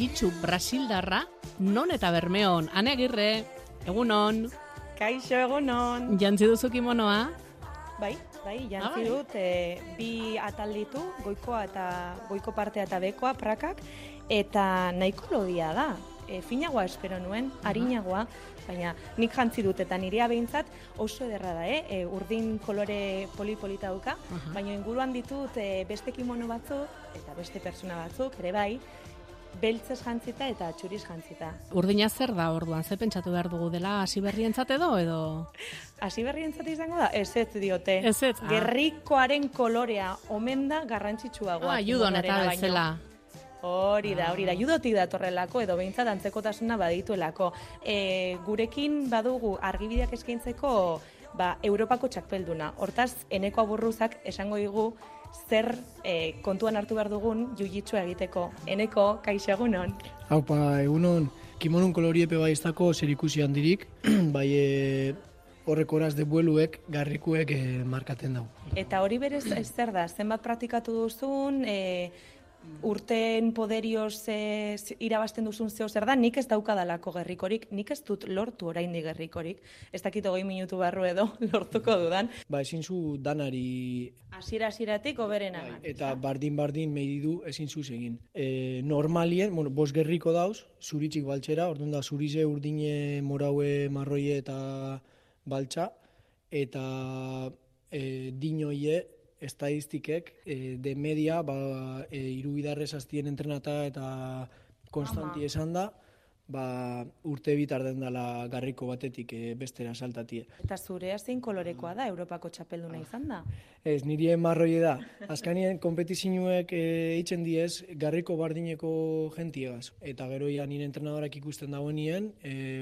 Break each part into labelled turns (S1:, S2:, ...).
S1: jiu-jitsu brasildarra, non eta Bermeon. Ane Agirre, egunon.
S2: Kaixo, egunon.
S1: Jantzi duzu kimonoa?
S2: Bai, jantzi dut, bi atal ditu, goiko partea eta bekoa, prakak, eta nahiko lodia da. Finagoa espero nuen, harinagoa, baina nik jantzi dut eta nirea behintzat oso ederra da, urdin kolore polipolita dauka, baina inguruan ditut beste kimono batzuk eta beste persona batzuk, ere bai, beltzez jantzita eta txuriz jantzita.
S1: Urdina zer da orduan, ze pentsatu behar dugu dela hasi berrientzat edo?
S2: Hasi berrientzat izango da? Ez diote.
S1: Ez.
S2: Gerrikoaren kolorea omen da garrantzitsuagoa.
S1: Judon eta bezala.
S2: Hori da, judotik datorrelako edo behintzat antzekotasuna badituelako. Gurekin badugu argibideak eskaintzeko Europako txakpelduna. Hortaz, Eneko Aburruzak esango digu zer kontuan hartu behar dugun jiu-jitsua egiteko. Eneko, kaixo egunon.
S3: Haupa, egunon, kimonon koloriepe bai ez dako zer ikusi handirik, bai horrek horaz de bueluek, garrikuek markaten dago.
S2: Eta hori berez zer da, zenbat praktikatu duzun, urteen poderioz irabazten duzun zeo zer da, nik ez daukadalako gerrikorik, nik ez dut lortu oraindik gerrikorik, ez dakit 20 minutu barru edo lortuko dudan.
S3: Ezin zu danari...
S2: Hasieratik oberena.
S3: Eta bardin medidu ezin zu egin. Normalien, bost gerriko dauz, zuritxik baltxera, orduan da zurize urdine moraue marroie eta baltxa, eta dinoie, estadistikek de media irubidarrez aztien entrenata eta konstanti esan da, urte bitar den dela garriko batetik bestera saltatie.
S2: Eta zurea zein kolorekoa da, Europako txapelduna izan da?
S3: Ez, nire marroie da. Azkanien kompetizinuek eitzen diez garriko bardineko jentiegaz. Eta gero nire entrenadorak ikusten dagoen nien,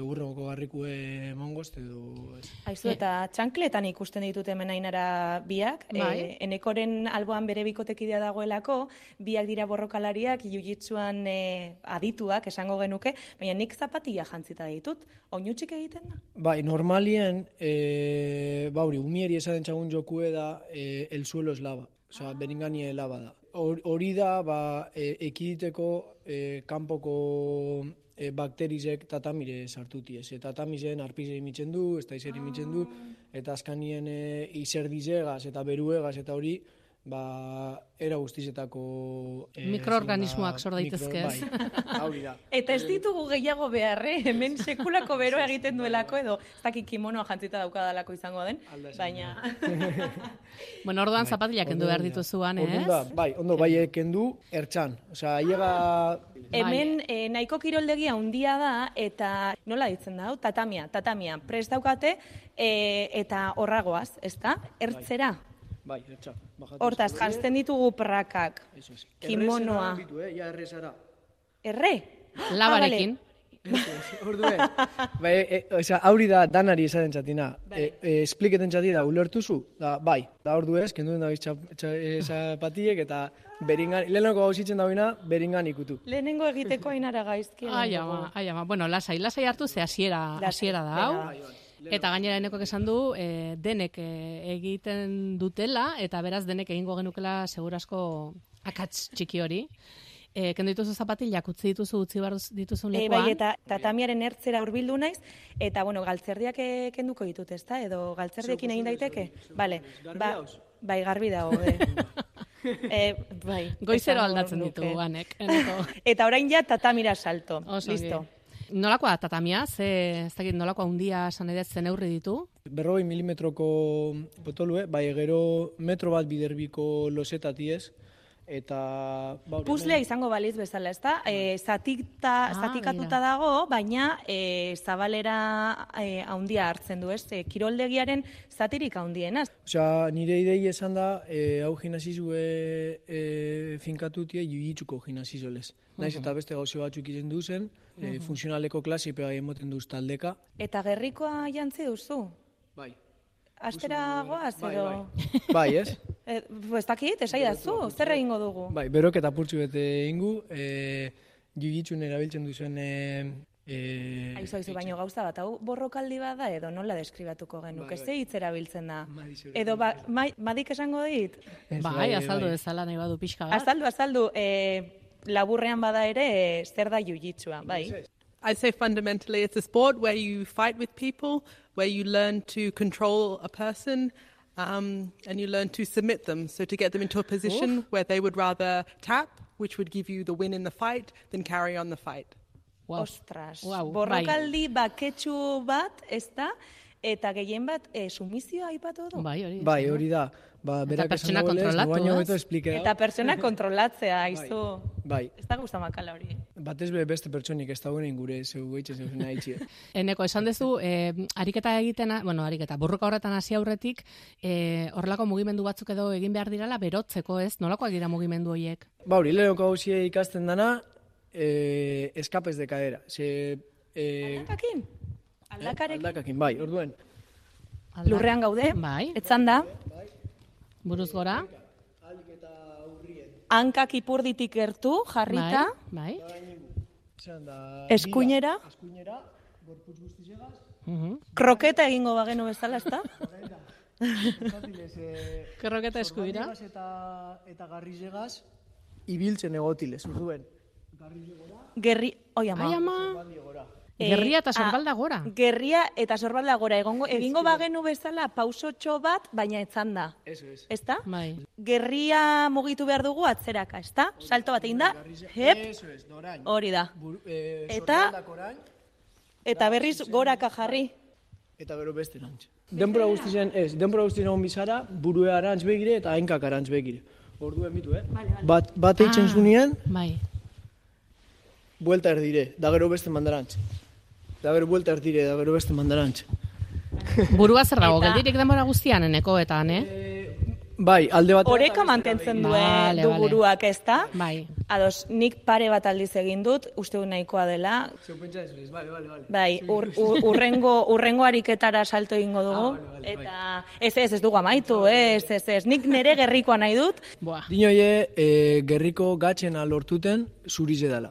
S3: urrengoko garrikue mongoz edo...
S2: Aizu, eta txankletan ikusten ditut hemen Ainara biak, Enekoren alboan bere bikotekidea dagoelako, biak dira borrokalariak, jiu-jitsuan adituak, esango genuke, baina nik zapatilla jantzita ditut, oinutxik egiten da?
S3: Bai, normalien, umieri esaten txagun jokue da, el suelo es lava, oza, beringani lava da. Hori da, ekiditeko kanpoko bakterizek tatamire sartutiez. Tatamizen arpize imitzen du, ez da izer imitzen du, eta azkanien izerdizegaz eta beruegaz eta hori, era guztizetako...
S1: Mikroorganismoak sor daitezke ez.
S3: Hori da.
S2: Eta ez ditugu gehiago beharre, hemen sekulako beroa egiten duelako edo, ez dakik kimonoa jantzita daukadalako izango den, baina...
S1: Bueno, orduan zapatilak kendu behar dituzuan, ez?
S3: Ondo, kendu, ertxan. Osea, aiega...
S2: Hemen nahiko kiroldegia handia da, eta nola ditzen da, tatamia, prest daukate, eta horragoaz, ez da, ertzera.
S3: Bai, ertza.
S2: Hortaz, jantzten ditugu prakak, kimonoa.
S3: Errezara.
S2: Erre?
S1: Labarekin.
S3: Orduen. Hauri da danari esaten txatina. Espliketen txatina, ulertuzu? Bai. Da ordu ez, kenduen da zapatiek eta lehenengo gauzitzen dauina, beringan ikutu.
S2: Lehenengo egiteko Ainara gaizki.
S1: Aiama. Bueno, lasai hartu ze hasiera da hau. Eta gainera Enekok esan du, denek egiten dutela, eta beraz denek egingo genukela segurasko akats txiki hori. Kendu dituzu zapatilak, utzi bar dituzun lekuan.
S2: Bai, eta tatamiaren ertzera hurbildu naiz, eta galtzerdiak kenduko ditut, ezta? Edo galtzerdiekin egin daiteke? Bale. Bai, garbi dago.
S1: Goizero aldatzen ditu, Anek.
S2: Eta orain ja tatamira salto. Listo.
S1: Nolakoa da tatamia? Ez dakit nolakoa handia esan edo zen neurri ditu?
S3: 40 milimetroko potolue, gero metro bat biderbiko losetaties, eta...
S2: Puzzlea izango baliz bezala, ez da? Zatikatuta dago, baina zabalera handia hartzen du, ez? Kiroldegiaren zatirik handiena.
S3: Osea, nire idei esan da, hau gimnasizue finkatutie jiu-jitsuko gimnasizolez. Naiz eta beste gauze batzuk izen duzen, funtzionaleko klase pega emoten duz taldeka.
S2: Eta gerrikoa jantzi duzu?
S3: Bai.
S2: Astera goaz, edo?
S3: Bai, ez?
S2: Ez dakit, esai dazu, zer egingo dugu?
S3: Bai, berok eta purtsu bete ingu, jiu-jitsun erabiltzen duzen...
S2: Aizu, baino gauza bat, hau borrokaldi bat da edo nola deskribatuko genuke, ze hitz erabiltzen da? Edo madik esango dit?
S1: Bai, azaldu ezala nahi badu pixka bat.
S2: Azaldu, laburrean bada ere zer da jiu-jitsua, bai.
S4: I'd say fundamentally it's a sport where you fight with people, where you learn to control a person, and you learn to submit them. So to get them into a position where they would rather tap, which would give you the win in the fight, than carry on the fight.
S1: Wow.
S2: Ostras,
S1: Wow,
S2: borrokaldi baketsu bat, ez da, eta gehien bat sumizioa aipatu du.
S1: Bai,
S3: hori da. Berak
S1: pertsona
S3: esan
S1: kontrolatu,
S3: baino
S1: ez?
S3: beto explike
S2: Eta pertsona kontrolatzea, aizu.
S3: Bai.
S2: Ez da gustamakala hori.
S3: Batez beste pertsonik ez dagoen gure zeu gaitzen zeu nahi
S1: Eneko, esan dezu, ariketa egiten, burruka horretan hasi aurretik, horrelako mugimendu batzuk edo egin behar dirala berotzeko, ez? Nolakoak dira mugimendu horiek?
S3: Hori, lehenoko hausia ikasten dana, escapes de cadera.
S2: Aldakakin? Aldakarekin?
S3: Aldakakin, bai, orduen.
S2: Lurrean gaude, etzan da.
S1: Buruz gora.
S2: Hankak ipurditik gertu, jarrita.
S1: Bai.
S2: Eskuinera.
S3: Gorputz guztizegaz.
S2: Kroketa egingo bagenu bezala, ezta?
S1: Kroketa eskuira.
S3: Eta garrizegaz, ibiltzen egotilez, orduen.
S2: Oi ama.
S1: Gerria eta sorbalda gora.
S2: Gerria eta sorbalda gora. Egingo bagenu bezala pausotxo bat, baina etzan da. Ezta?
S1: Bai.
S2: Gerria mugitu behar dugu atzeraka, ezta? Salto bat egin da. Hep. Hori da. Eta berriz goraka jarri.
S3: Eta gero beste erantz. Denbora guztien egon bizara, burue arantz begire eta hainkak arantz begire. Orduen bitu, Bat eitzen zunien, buelta erdire, da gero beste mandarantz. Da gero buelta erdire, da gero beste mandarantz.
S1: Burua zer dago, geldirik denbora guztian, eneko eta,
S3: Bai, alde bat...
S2: Oreka mantentzen du buruak, ez da?
S1: Bai.
S2: Ados, nik pare bat aldiz egin dut, uste du nahikoa dela.
S3: Zeu pentsa ez,
S2: bai, urrengo ariketara salto egingo dugu. Eta ez dugu amaitu, ez. Nik nire gerrikoa nahi dut.
S3: Dinoie, gerriko gatxena lortuten zurize dela.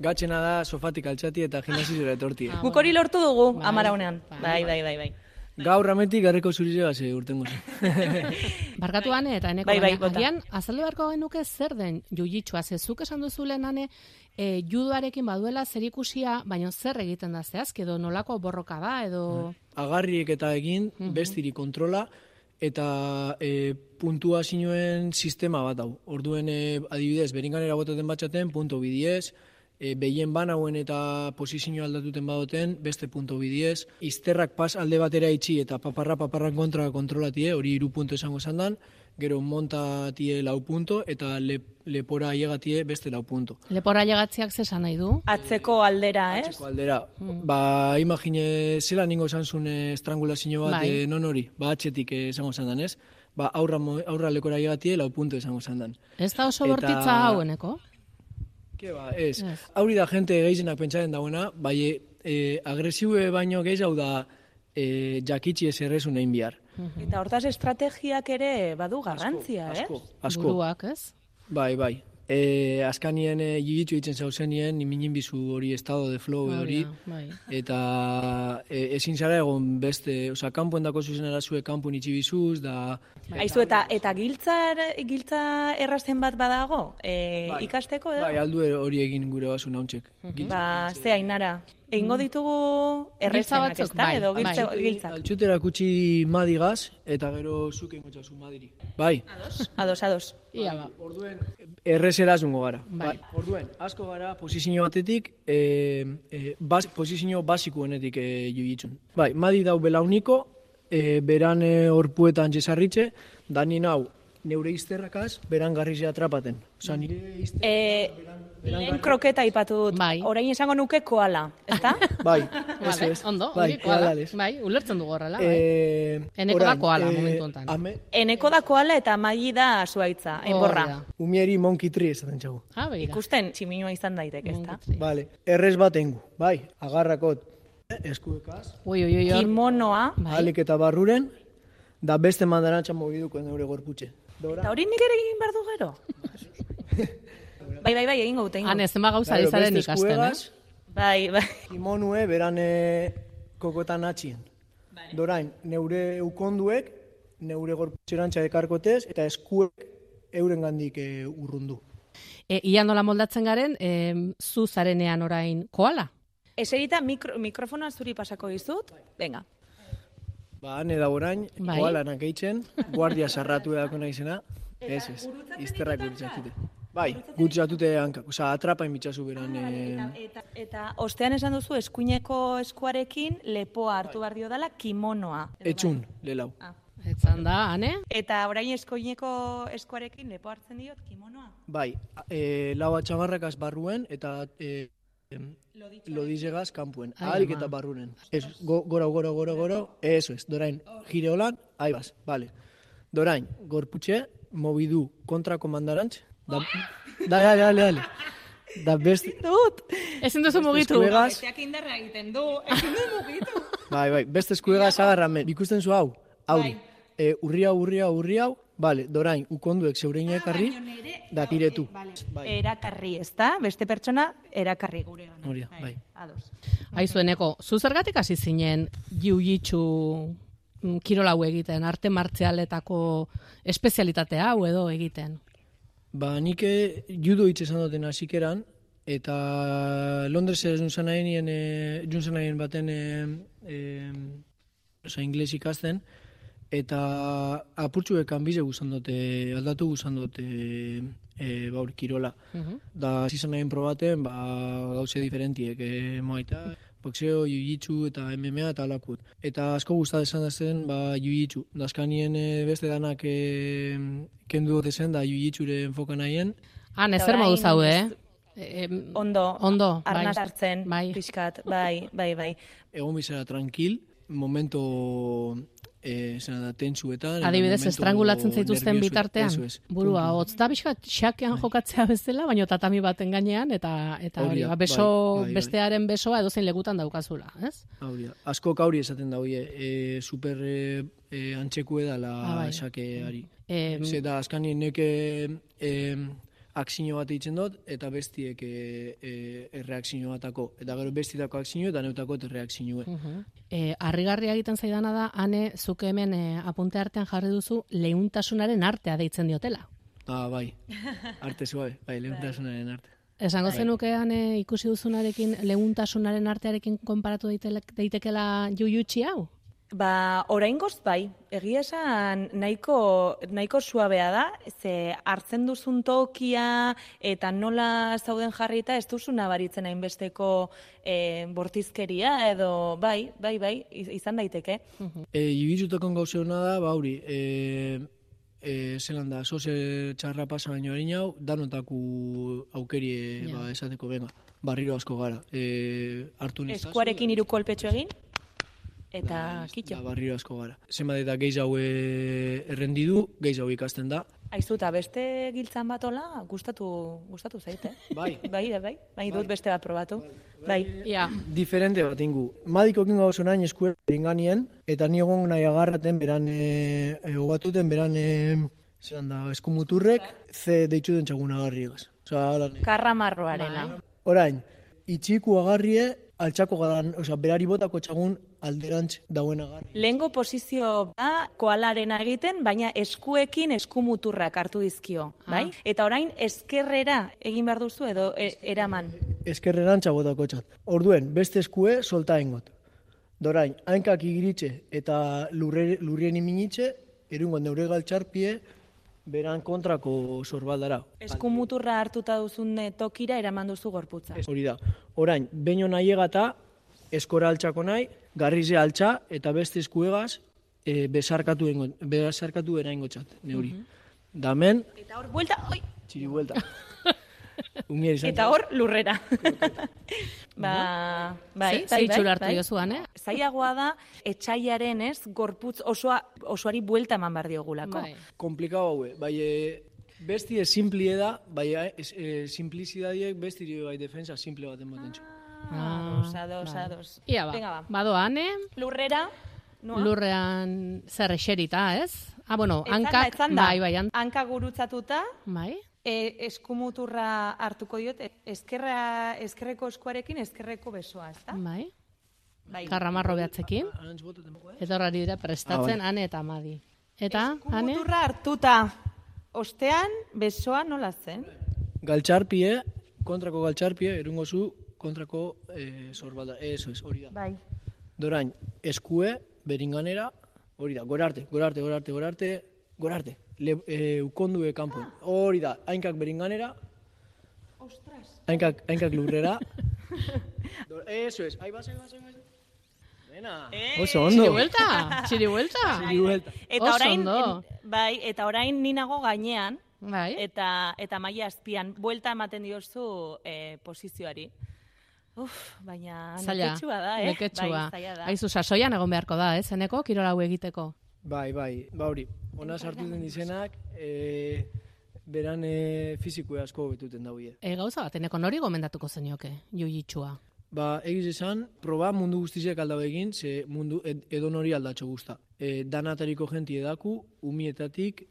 S3: Gatxena da sofatik altxati eta gimnasizora etorti.
S2: Guk hori lortu dugu, amaraunean. Bai.
S3: Gaur rametik garriko zurizea urtengo zen.
S1: Barkatuan eta eneko,
S2: agian,
S1: azalde beharko genuke zer den jiu-jitsua, zezuk esan duzu lehenane, judoarekin baduela zer ikusia, baina zer egiten da zehazk, edo nolako borroka da, edo...
S3: Agarriek eta egin, bestiri kontrola, eta puntuazioen sistema bat hau. Orduen, adibidez, beringanera botaten batxaten, punto bidiez, behien banauen eta posizio aldatuten badoten, beste punto bidiez, izterrak pas alde batera itxi eta paparran kontra kontrolatie, hori 3 punto esango zandan, gero montatie 4 punto, eta lepora llegatie beste 4 punto.
S1: Lepora llegatziak zesan nahi du?
S2: Atzeko aldera, ez?
S3: Atzeko aldera. Imagine, zela ningo zantzun estrangulazio bat non hori, atxetik esango zandan, ez? Aurra lekora llegatie 4 punto esango zandan.
S1: Ez da oso bortitza haueneko?
S3: Ez. Hauri da jente gehienak pentsaren dagoena, bai agresiue baino gehiago da jakitsi ez errezun egin bihar.
S2: Eta hortaz estrategiak ere badu garrantzia,
S3: Asko.
S1: Buruak, ez?
S3: Bai. Azkanien jiu-jitsu egiten zauzenien, niminin bizu hori estado de flow hori, eta ezin zara egon beste, kanpoen dako zuzen erazue kanpoen itxi bizuz, da...
S2: Aizu, eta giltza errazen bat badago, ikasteko edo?
S3: Bai, aldu hori egin gure basu nauntxek.
S2: Ze hainara, egingo ditugu errezenak, ez da, edo giltzak?
S3: Altxutera kutsi madigaz, eta gero zuken gotxazu madiri. Bai.
S2: Ados.
S1: Ia ba.
S3: Orduen, errezera zungo gara. Bai. Orduen, asko gara posizio batetik, posizio basikoenetik jiu-jitsun. Bai, madi dau belauniko, beran horpuetan jesarritxe, dani nau neure izterrakaz, beran garrizea atrapaten. Osa, nire izterrakaz...
S2: Lehen kroketa ipatu dut, orain esango nuke koala, ezta?
S3: Bai,
S1: ondo, koala. Bai, ulertzen dugu horrela. Eneko da koala, momentu honetan.
S2: Eneko da koala eta maili da zuaitza, enborra.
S3: Umieri monkey tree esaten txagu.
S2: Ikusten, tximinua izan daitek, ezta?
S3: Vale, errez batengu, bai, agarrakot eskuekaz.
S2: Kimonoa.
S3: Alik eta barruren, da beste mandarantza mogiduko neure gorputxe.
S2: Eta hori nik ere egin behar du gero? Bai, egingo dute.
S1: Han, ez ema gauza dizaren ikasten,
S2: Bai.
S3: Kimonue, beran kokotan atxien. Dorain, neure ukonduek, neure gorputxerantza ekarkotez, eta eskuek euren gandik urrundu.
S1: Ia nola moldatzen garen, zu zarenean orain koala?
S2: Eserita mikrofonoa zuri pasako dizut. Venga.
S3: Ba, hane da orain, koalanak eitzen, guardia sarratu edako naizena. Ez, izterrak gurutzatute. Bai, gurutzatute hankak, atrapain bitxazu beran.
S2: Eta ostean esan duzu eskuineko eskuarekin lepoa hartu behar dio dela kimonoa.
S3: Etxun, lelau.
S1: Etzan da, Ane?
S2: Eta orain eskuineko eskuarekin lepoa hartzen diot kimonoa?
S3: Bai, lau atxamarrakaz barruen eta lodizegaz kanpuen. Ahalik eta barrunen. Gora, eso es, dorain, gire holan, aibaz, vale. Dorain, gorputxe, mobidu kontrako mandarantz, dale. Da beste...
S1: Ezin duzu mugitu.
S2: Besteak indarra egiten du, ezin du mugitu.
S3: Bai, beste eskuegaz agarramen. Ikusten zu hau, hauri. Urri hau, vale, dorain, ukonduek zeureina ekarri, da tiretu.
S2: Erakarri, ez da? Beste pertsona, erakarri gurean.
S3: Horia, bai.
S1: Aizueneko, zu zergatik hasi zinen jiu-jitsu kirola hau egiten, arte martzialetako espezialitate hau edo egiten?
S3: Ba, nik judo hitz esan duten hasikeran, eta Londres junzanaien baten ingles ikasten, eta apurtxuekan bize guzan dute, aldatu guzan dute kirola. Da, zizanaien probaten, gauze diferentiek, moaita, boxeo, jiu-jitsu eta MMA eta alakut. Eta asko guztat esan dazten, jiu-jitsu. Dazkanien beste danak kendu dute zen, da jiu-jitsure enfoka nahien.
S1: Zer modu zaude,
S2: Ondo, arnaz hartzen, pixkat, bai.
S3: Egon bizera tranquil, momento tentsuetan.
S1: Adibidez, estrangulatzen zaituzten bitartean. Burua, hotz da bizkat xakean jokatzea bezala, baina tatami baten gainean, eta hori, bestearen besoa edozein legutan daukazula, ez?
S3: Asko kauri esaten da, super antxeku edala xakeari. Zeta, azkanien neke akzio bat eitzen dut, eta bestiek erreakzio batako. Eta gero bestietako akzio eta neutako erreakzioe.
S1: Harrigarria egiten zaidana da, Ane, zuke hemen apunte artean jarri duzu leuntasunaren artea deitzen diotela.
S3: Bai, arte suabe, leuntasunaren arte.
S1: Esango zenukean ikusi duzunarekin leuntasunaren artearekin konparatu daitekela jiu-jitsu hau?
S2: Oraingoz bai, egia esan nahiko suabea da, ze hartzen duzun tokia eta nola zauden jarrita ez duzu nabaritzen hainbesteko bortizkeria edo bai, izan daiteke.
S3: Jiu-jitsutokon gauze hona da, hori, zelan da, soze txarra pasa baino harin hau, danotaku aukerie esateko, barriro asko gara.
S2: Eskuarekin 3 kolpetxo egin? Eta kitxo.
S3: Barriro asko gara. Zenbat eta geiz hau errendidu, geiz hau ikasten da.
S2: Aizu, eta beste giltzan bat hola, gustatu zaite. Bai, dut beste bat probatu. Bai.
S3: Diferente bat ingu. Madiko kingo oso nahin eskuera inganien, eta ni egon nahi agarraten beran, egobatuten beran, eskumuturrek, ze deitzu den txagun agarriegaz.
S2: Karramarroarena.
S3: Orain, itxiku agarrie, altxako gadan, berari botako txagun alderantz dauen agarri.
S2: Lehengo posizio da koalarena egiten, baina eskuekin eskumuturrak hartu dizkio, bai? Eta orain eskerrera egin behar duzu edo eraman?
S3: Eskerrerantza botako txat. Orduen, beste eskue solta engot. Dorain, hainkak igiritxe eta lurrien iminitxe, erungo neure galtxarpie, beran kontrako zorbaldara.
S2: Eskumuturra hartuta duzun tokira eraman duzu gorputza.
S3: Hori da. Orain, baino nahi egata, eskora altxako nahi, garrize altxa eta beste eskuegaz besarkatu eraingo txat, neuri. Damen...
S2: Eta hor buelta, oi!
S3: Txiri buelta.
S2: Eta hor lurrera. Bai.
S1: Zeitxura hartu jozuan,
S2: Zaiagoa da, etxaiaren gorputz osoari buelta eman behar diogulako.
S3: Komplikau haue, bai, bestie simplie da, bai, simplizidadiek bestiri bai defensa simple bat ematen txu.
S2: Ados.
S1: Ia badoa, Ane?
S2: Lurrera?
S1: Lurrean zer eserita, ez? Hankak, bai.
S2: Hanka gurutzatuta.
S1: Bai.
S2: Eskumuturra hartuko diot, eskerreko eskuarekin eskerreko besoa, ez da?
S1: Bai. Karramarro behatzekin. Eta horari dira prestatzen Ane eta Amadi. Eta, Ane?
S2: Eskumuturra hartuta. Ostean, besoa nola zen?
S3: galtxarpie, kontrako galtxarpie, erungo zu, kontrako zorbalda. Eso es, hori da.
S2: Bai.
S3: Dorain, eskue, beringanera, hori da, gorarte. Ukondue kanpo. Hori da, hainkak beringanera, hainkak lurrera. Eso es, ahí vas. Bena, oso ondo.
S1: Txiri-buelta.
S2: Eta orain ninago gainean,
S1: Bai.
S2: eta maila azpian, buelta ematen diozu posizioari. Baina neketsua da,
S1: Neketsua.
S2: Bai, zaila da.
S1: Aizu, sasoian egon beharko da, zeneko, kirol hau egiteko.
S3: Bai, hori, ona sartu den izenak, beran fizikoa asko betuten daude.
S1: Gauza bat, eneko nori gomendatuko zenioke, jiu-jitsua?
S3: Egiz esan, proba mundu guztiziak aldau egin, ze mundu edon hori aldatxo guzta. Danatariko jenti edaku, umietatik,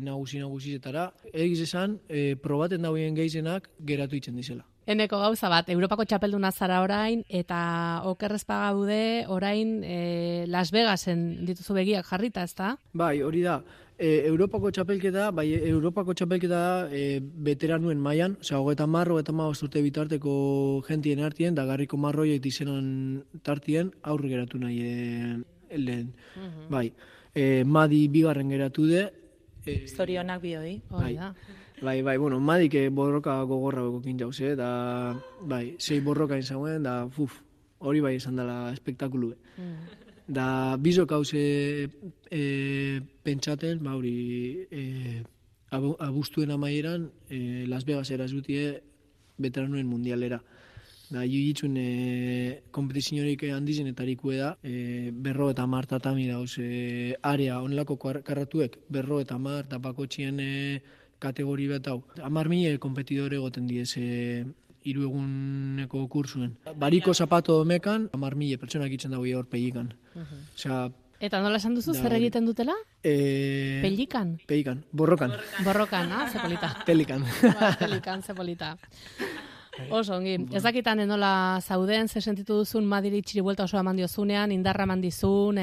S3: nagusi-nagusizetara. Egiz esan, probaten dauen geizenak geratu itzen dizela.
S1: Eneko gauza bat, Europako txapelduna zara orain, eta okerrezpa gaude orain Las Vegasen dituzu begiak jarrita, ezta?
S3: Bai, hori da. Europako txapelketa da veteranuen mailan, osea, 30 urte bitarteko jentien artien, da garriko marroiek dizenan tartien aurre geratu nahi lehen. Bai, Madi bigarren geratu de.
S2: Zorionak bioi.
S3: Bai, bueno, Madik borroka gogorra bekokin jauz, da, bai, 6 borroka izauen, da, hori bai izan dela espektakulu. Da, bizok hauze pentsaten, hori, abuztuen amaieran, Las Vegas erazbutie veteranuen mundialera. Da, jiu-jitsuen kompetiziorik handizenetarikue da, 50 tatami dauz, area onelako karratuek, 50 eta bakotxien kategori bat hau. 10.000 kompetidore goten diez 3 eguneko kursuen. Bariko zapato domekan, 10.000 pertsonak itzen dago hor pegikan.
S1: Eta nola esan duzu, zer egiten dutela? Pelikan?
S3: Pelikan, borrokan.
S1: Borrokan, ze polita.
S3: Pelikan.
S1: Pelikan, ze polita. Oso, ongi. Ez dakitan nola zauden, ze sentitu duzun Madiri txiribuelta oso eman diozunean, indarra eman dizun...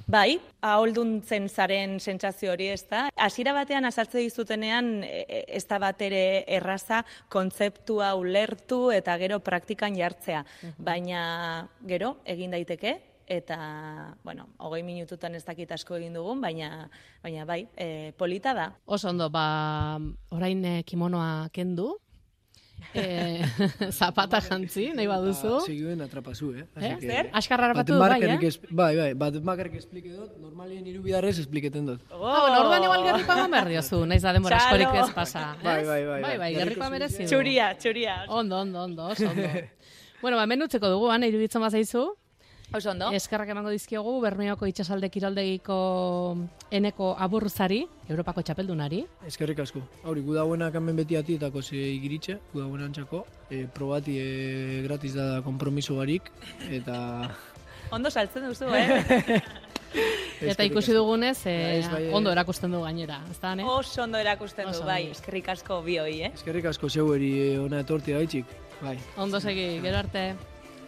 S2: Bai, aholduntzen zaren sentsazio hori, ez da. Hasiera batean azaltze dizutenean ez da bat ere erraza kontzeptua ulertu eta gero praktikan jartzea. Baina gero egin daiteke eta, 20 minututan ez dakit asko egin dugun, baina bai, polita da.
S1: Oso ondo, orain kimonoa kendu, zapata jantzi, nahi baduzu.
S3: Seguen atrapazu,
S2: Zer?
S1: Askarra harrapatu, bai,
S3: Bai, bat bakarrik esplike dut, normalien 3 bidarrez espliketen dut.
S1: Orduan igual gerrikoa egon behar diozu, nahiz da demora askorik ez pasa.
S3: Bai,
S1: gerrikoa merezi du.
S2: Txuria.
S1: Ondo, oso ondo. Bueno, hemen utzeko dugu, iruditzen bazaizu.
S2: Oso ondo.
S1: Eskerrak emango dizkiogu Bermeoko itsasalde kiroldegiko Eneko Aburruzari, Europako txapeldunari.
S3: Eskerrik asko. Hori, gudagoenak hemen beti atietako igiritxe, gudagoen antxako, probati gratis da kompromiso barik, eta...
S2: Ondo saltzen duzu,
S1: Eta ikusi dugunez, ondo erakusten du gainera, ez da, ne?
S2: Oso ondo erakusten du, bai, eskerrik asko bioi,
S3: Eskerrik asko zeueri ona etorti gaitxik, bai.
S1: Ondo segi, gero arte.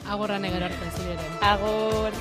S1: Agorrane gero arte, zuri ere.
S2: Agor!